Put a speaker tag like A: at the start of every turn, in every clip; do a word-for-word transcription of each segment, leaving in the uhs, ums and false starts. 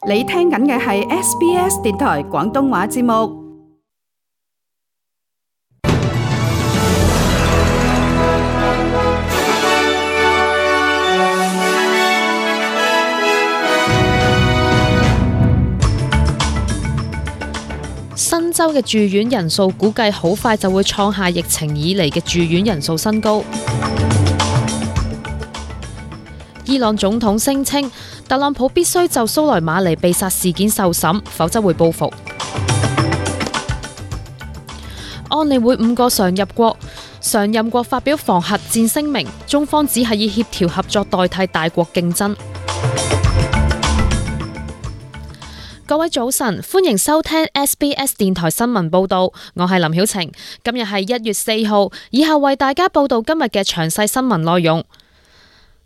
A: 你聽緊嘅係 S B S 電台廣東話節目。
B: 新州嘅住院人數估計好快就會創下疫情以嚟嘅住院人數新高。伊朗總統聲稱，特朗普必須就蘇萊馬尼被殺事件受審，否則會報復。安理會五個常任國常任國發表防核戰聲明，中方只係以協調合作代替大國競爭。各位早晨，歡迎收聽 S B S 電台新聞報道，我係林曉晴。今日係一月四號，以後為大家報道今日嘅詳細新聞內容。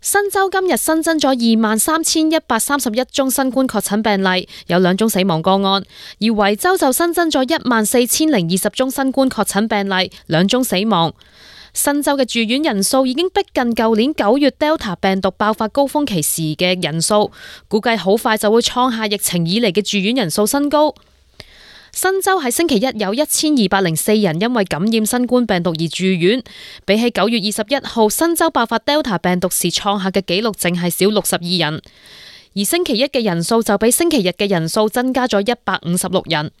B: 新州今日新增咗二萬三千一百三十一宗新冠確診病例，有兩宗死亡個案；而維州就新增咗一萬四千零二十宗新冠確診病例，兩宗死亡。新州嘅住院人數已經逼近舊年九月 Delta 病毒爆發高峰期時嘅人數，估計好快就會創下疫情以嚟嘅住院人數新高。新州喺星期一有一千二百零四人因為感染新冠病毒而住院，比起九月二十一號新州爆發 Delta 病毒時創下嘅紀錄，淨係少六十二人。而星期一嘅人數就比星期日嘅人數增加咗一百五十六人。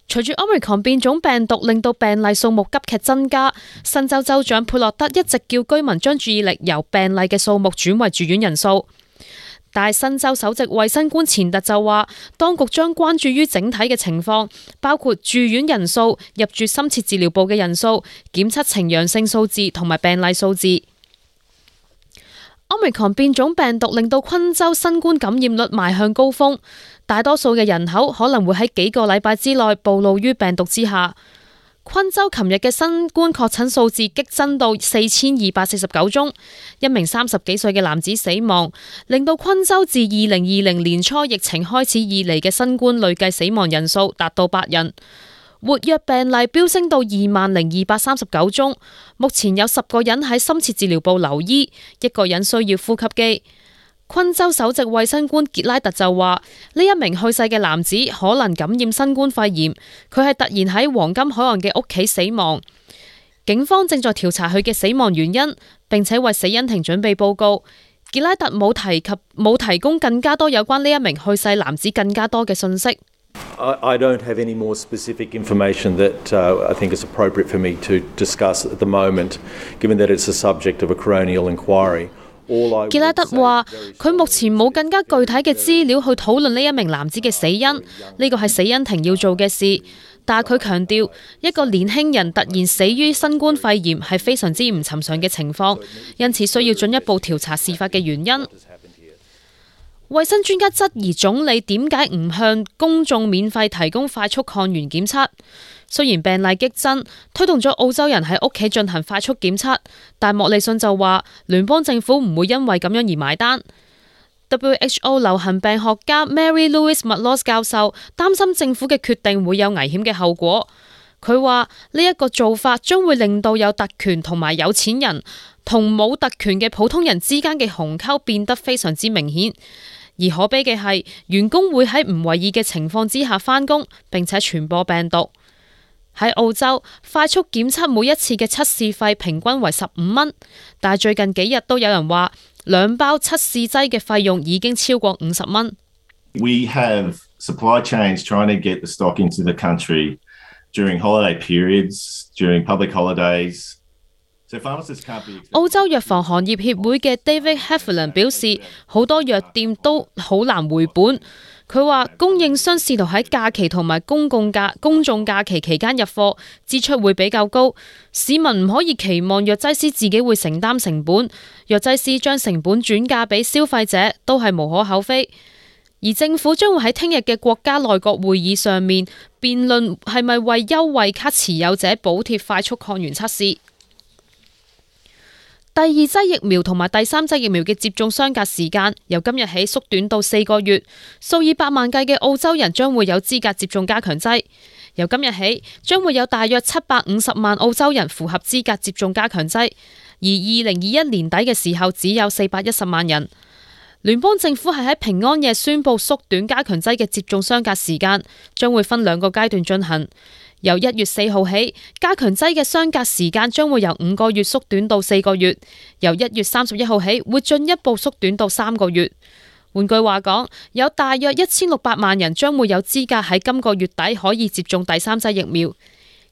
B: 隨住 Omicron 變種病毒令到病例數目急劇增加，新州州長佩洛德一直叫居民將注意力由病例嘅數目轉為住院人數。但係新州首席衛生官錢特就話，當局將關注於整體嘅情況，包括住院人數、入住深切治療部嘅人數、檢測呈陽性數字同埋病例數字。Omicron 變種病毒令到昆州新冠感染率邁向高峰，大多數嘅人口可能會喺幾個禮拜之內暴露於病毒之下。昆州琴日嘅新冠確診數字激增到四千二百四十九宗，一名三十幾歲嘅男子死亡，令到昆州自二零二零年初疫情開始以嚟嘅新冠累計死亡人數達到八人，活躍病例飆升到二萬零二百三十九宗，目前有十個人喺深切治療部留醫，一個人需要呼吸機。昆州首席衛生官傑拉特就話，呢一名去世嘅男子可能感染新冠肺炎，佢係突然喺黃金海岸嘅屋企死亡。警方正在調查佢嘅死亡原因，並且為死因庭準備報告。傑拉特冇提及冇提供更加多有關呢一名去世男子更加多嘅信息。
C: I don't have any more specific information that uh, I think is appropriate for me to discuss at the moment, given that it's the subject of a coronial inquiry.
B: 傑拉特話，佢目前冇更加具體嘅資料去討論呢一名男子嘅死因，呢個係死因庭要做嘅事。但係佢強調，一個年輕人突然死於新冠肺炎係非常之唔尋常嘅情況，因此需要進一步調查事發嘅原因。衛生專家質疑總理點解唔向公眾免費提供快速抗原檢測。雖然病例激增，推動咗澳洲人喺屋企進行快速檢測，但莫里遜就話聯邦政府唔會因為咁樣而買單。W H O 流行病學家 Mary Louise McLaws 教授擔心政府嘅決定會有危險嘅後果。佢話呢一個做法將會令到有特權同埋有錢人同冇特權嘅普通人之間嘅鴻溝變得非常之明顯。而可悲嘅係，員工會喺唔為意嘅情況之下返工，並且傳播病毒。喺澳洲，快速檢測每一次嘅測試費平均為十五蚊，但係最近幾日都有人話，兩包測試劑嘅費用已經超過五十蚊。
D: We have supply chains trying to get the stock into the country during holiday periods, during public holidays.
B: 澳洲藥房行業協會嘅 David Heffernan 表示，好多藥店都好難回本。佢話供應商試圖喺假期同埋公共假公眾假期期間入貨，支出會比較高。市民唔可以期望藥劑師自己會承擔成本，藥劑師將成本轉嫁俾消費者都係無可厚非。而政府將會喺聽日嘅國家內閣會議上面辯論係咪為優惠卡持有者補貼快速抗原測試。第二劑疫苗同埋第三劑疫苗嘅接種相隔時間由今日起縮短到四個月，數以百萬計嘅澳洲人將會有資格接種加強劑。由今日起，將會有大約七百五十萬澳洲人符合資格接種加強劑，而二零二一年底嘅時候只有四百一十萬人。聯邦政府係喺平安夜宣布縮短加強劑嘅接種相隔時間，將會分兩個階段進行。由一月四號起，加強劑嘅相隔時間將會由五個月縮短到四個月；由一月三十一號起，會進一步縮短到三個月。換句話講，有大約一千六百萬人將會有資格喺今個月底可以接種第三劑疫苗。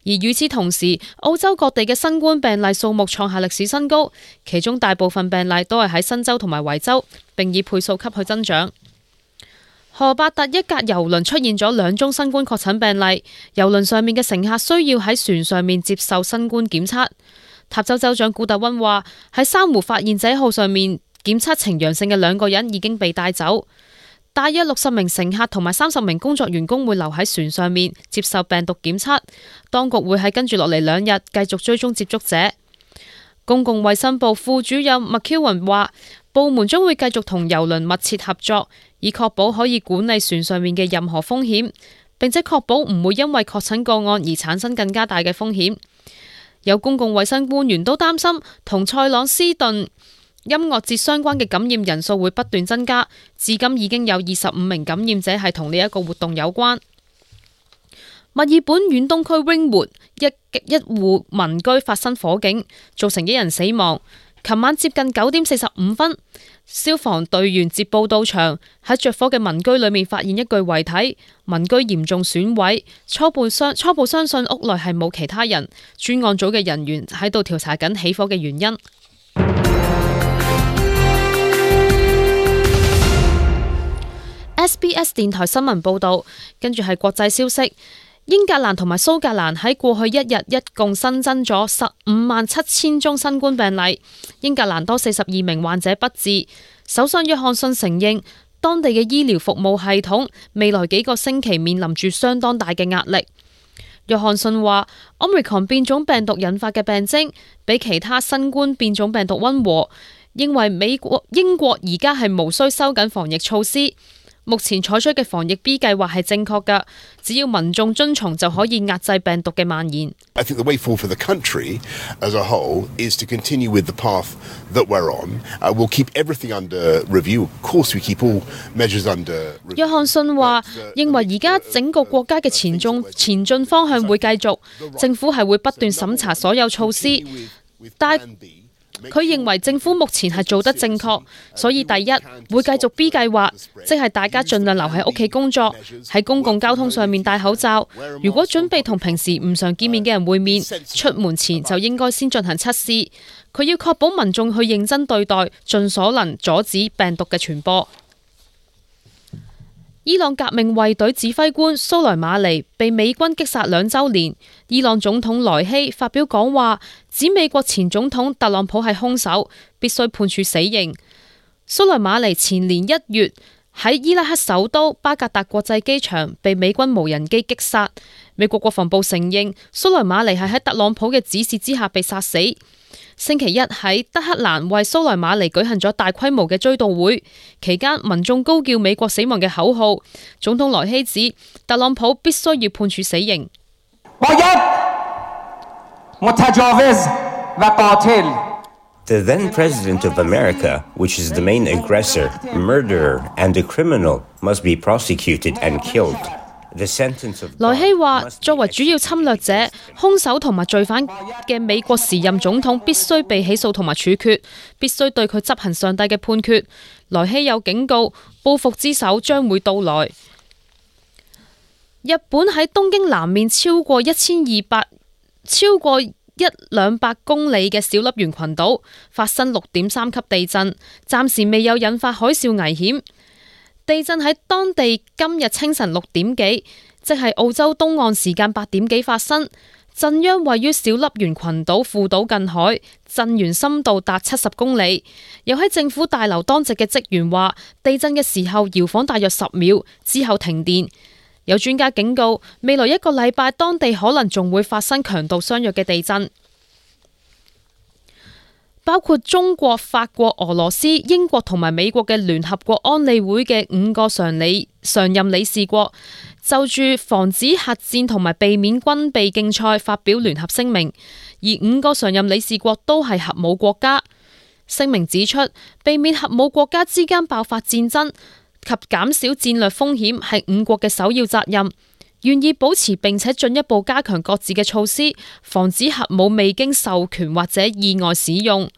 B: 而與此同時，澳洲各地嘅新冠病例數目創下歷史新高，其中大部分病例都係喺新州同埋維州，並以倍數級去增長。荷伯特一架郵輪出現咗兩宗新冠確診病例，郵輪上面嘅乘客需要喺船上面接受新冠檢測。塔州州長古特溫話，喺珊瑚發現者號上面檢測呈陽性嘅兩個人已經被帶走。大約六十名乘客同埋三十名工作員工會留喺船上面接受病毒檢測，當局會喺跟住落嚟兩日繼續追蹤接觸者。公共衛生部副主任麥喬雲話，部門將會繼續同郵輪密切合作，以確保可以管理船上面嘅任何風險，並且確保唔會因為確診個案而產生更加大嘅風險。有公共衛生官員都擔心同塞朗斯頓音樂節相關嘅感染人數會不斷增加，至今已經有二十五名感染者係同呢一個活動有關。墨爾本遠東區 Ringwood 一一戶民居發生火警，造成一人死亡。琴晚接近九點四十五分，消防隊員接報到場，喺着火嘅民居裏面發現一具遺體，民居嚴重損毀，初步相初步相信屋內係冇其他人。專案組嘅人員喺度調查緊起火嘅原因。S B S 電台新聞報道，跟住係國際消息。英格蘭同埋蘇格蘭喺過去一日一共新增咗十五萬七千宗新冠病例，英格蘭多四十二名患者不治。首相約翰遜承認，當地嘅醫療服務系統未來幾個星期面臨住相當大嘅壓力。約翰遜話 Omicron 變種病毒引發嘅病徵比其他新冠變種病毒溫和，認為美國英國而家係無需收緊防疫措施。目前採取嘅防疫 B 計劃係正確㗎，只要民眾遵從就可以壓制病毒嘅蔓延。
E: I think the way forward for the country as a whole is to continue with the path that we're on. Uh, we'll keep everything under review. Of course, we keep all measures under review.
B: 約翰遜話，認為而家整個國家嘅前進前進方向會繼續，政府係會不斷審查所有措施，但佢認為政府目前係做得正確，所以第一會繼續 B 計劃，即係大家盡量留喺屋企工作，喺公共交通上面戴口罩。如果準備同平時唔常見面嘅人會面，出門前就應該先進行測試。佢要確保民眾去認真對待，盡所能阻止病毒嘅傳播。伊朗革命衛隊指揮官蘇萊馬尼被美軍擊殺兩週年，伊朗總統萊希發表講話，指美國前總統特朗普係兇手，必須判處死刑。蘇萊馬尼前年一月喺伊拉克首都巴格達國際機場被美軍無人機擊殺，美國國防部承認蘇萊馬尼係喺特朗普嘅指示之下被殺死。星期一喺德黑蘭為蘇萊馬尼舉行咗大規模嘅追悼會，期間民眾高叫美國死亡嘅口號。總統萊希指特朗普必須要判處死刑。
F: The then President of America, which is the main aggressor, murderer and a criminal, must be prosecuted and killed.
B: 萊希話，作為主要侵略者、兇手同埋罪犯嘅美國時任總統必須被起訴同埋處決，必須對佢執行上帝嘅判決。萊希有警告，報復之手將會到來。日本喺東京南面超過一千二百、超過一兩百公里嘅小笠原群島發生六點三級地震，暫時未有引發海嘯危險。地震喺當地今日清晨六點幾，即係澳洲東岸時間八點幾發生。震央位於小笠原群島父島近海，震源深度達七十公里。有喺政府大樓當值嘅職員話，地震嘅時候搖晃大約十秒，之後停電。有專家警告，未來一個禮拜當地可能仲會發生強度相若嘅地震。包括中國、法國、俄羅斯、英國同埋美國嘅聯合國安理會嘅五個常理常任理事國，就住防止核戰同埋避免軍備競賽發表聯合聲明，而五個常任理事國都係核武國家。聲明指出，避免核武國家之間爆發戰爭及減少戰略風險係五國嘅首要責任，願意保持並且進一步加強各自嘅措施，防止核武未經授權或者意外使用。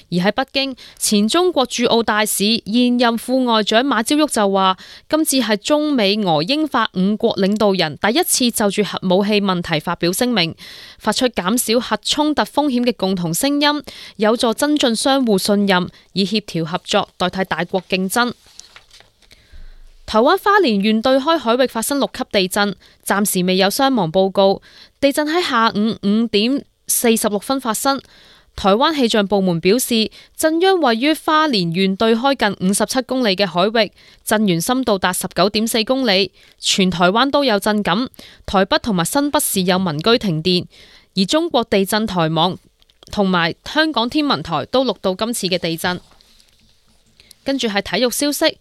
B: 而喺北京，前中國駐澳大使、現任副外長馬朝旭就話，今次係中美俄英法五國領導人第一次就住核武器問題發表聲明，發出減少核衝突風險嘅共同聲音，有助增進相互信任，以協調合作代替大國競爭。台灣花蓮縣對開海域發生六級地震，暫時未有傷亡報告。地震喺下午五點四十六分發生。台灣氣象部門表示，震央位於花蓮縣對開近五十七公里嘅海域，震源深度達十九點四公里，全台灣都有震感。台北同埋新北市有民居停電，而中國地震台網同埋香港天文台都錄到今次嘅地震。跟住係體育消息，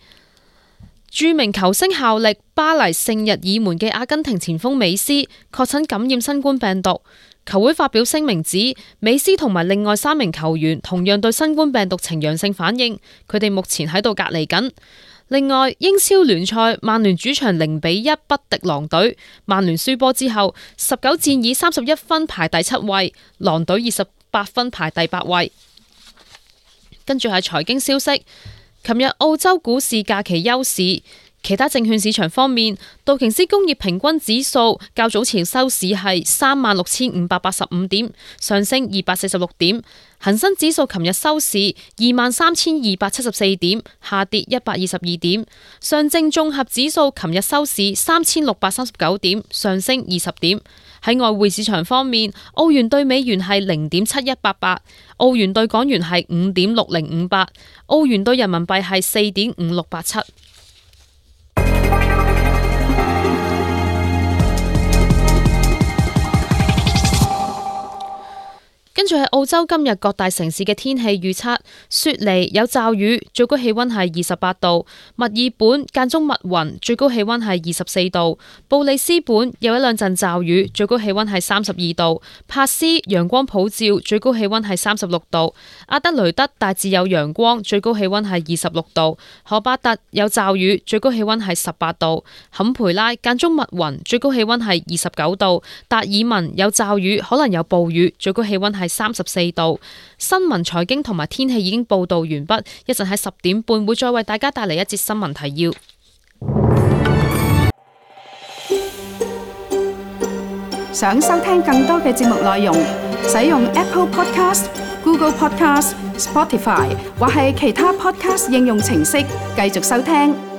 B: 著名球星效力巴黎聖日耳門嘅阿根廷前鋒美斯確診感染新冠病毒。球會發表聲明指，美斯同埋另外三名球員同樣對新冠病毒呈陽性反應，佢哋目前喺度隔離緊。另外，英超聯賽曼聯主場零比一不敵狼隊，曼聯輸波之後，十九戰以三十一分排第七位，狼隊二十八分排第八位。跟住係財經消息，琴日澳洲股市假期休市。其他證券市場方面，道瓊斯工業平均指數較早前收市係三萬六千五百八十五點，上升二百四十六點。恒生指數琴日收市二萬三千二百七十四點，下跌一百二十二點。上證綜合指數琴日收市三千六百三十九點，上升二十點。喺外匯市場方面，澳元對美元係零點七一八八，澳元對港元係五點六零五八，澳元對人民幣係四點五六八七。跟住係澳洲今日各大城市嘅天氣預測：雪梨有驟雨，最高氣溫係二十八度；墨爾本間中密雲，最高氣溫係二十四度；布里斯本有一兩陣驟雨，最高氣溫係三十二度；帕斯陽光普照，最高氣溫係三十六度；阿德雷德大致有陽光，最高氣溫係二十六度；荷巴特有驟雨，最高氣溫係十八度；坎培拉間中密雲，最高氣溫係二十九度；達爾文有驟雨，可能有暴雨，最高氣溫係三十四度。新聞、財經同埋天氣已經報道完畢，一陣喺十點半會再為大家帶嚟一節新聞提要。
A: 想收聽更多嘅節目內容，使用 Apple Podcast、Google Podcast、Spotify 或係其他 Podcast 應用程式繼續收聽。